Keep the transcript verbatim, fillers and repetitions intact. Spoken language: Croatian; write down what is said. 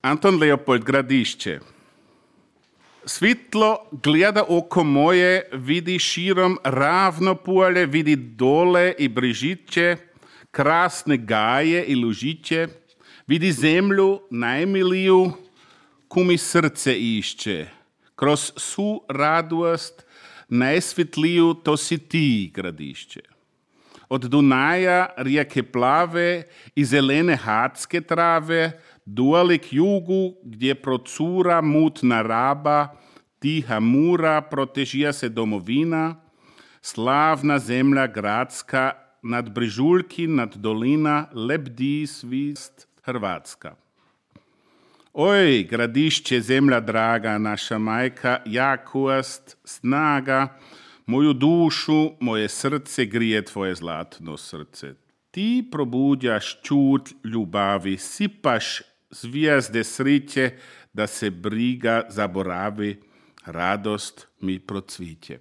Anton Leopold, Gradišće. Svitlo gleda oko moje, vidi širom ravno polje, vidi dole i brižiće, krasne gaje i lužiće, vidi zemlju najmiliju, kumi srce išće. Kroz svu radost najsvitliju to si ti, Gradišće. Od Dunaja rijeke plave i zelene hadske trave, duali k jugu, gdje procura mutna raba, tiha mura, protežija se domovina, slavna zemlja gradska, nad brižuljki, nad dolina, lebdi svist Hrvatska. Oj, Gradišće, zemlja draga, naša majka, jakost, snaga, moju dušu, moje srce grije tvoje zlatno srce. Ti probudjaš čut ljubavi, sipaš zvijezde sriće, da se briga zaboravi, radost mi procviće.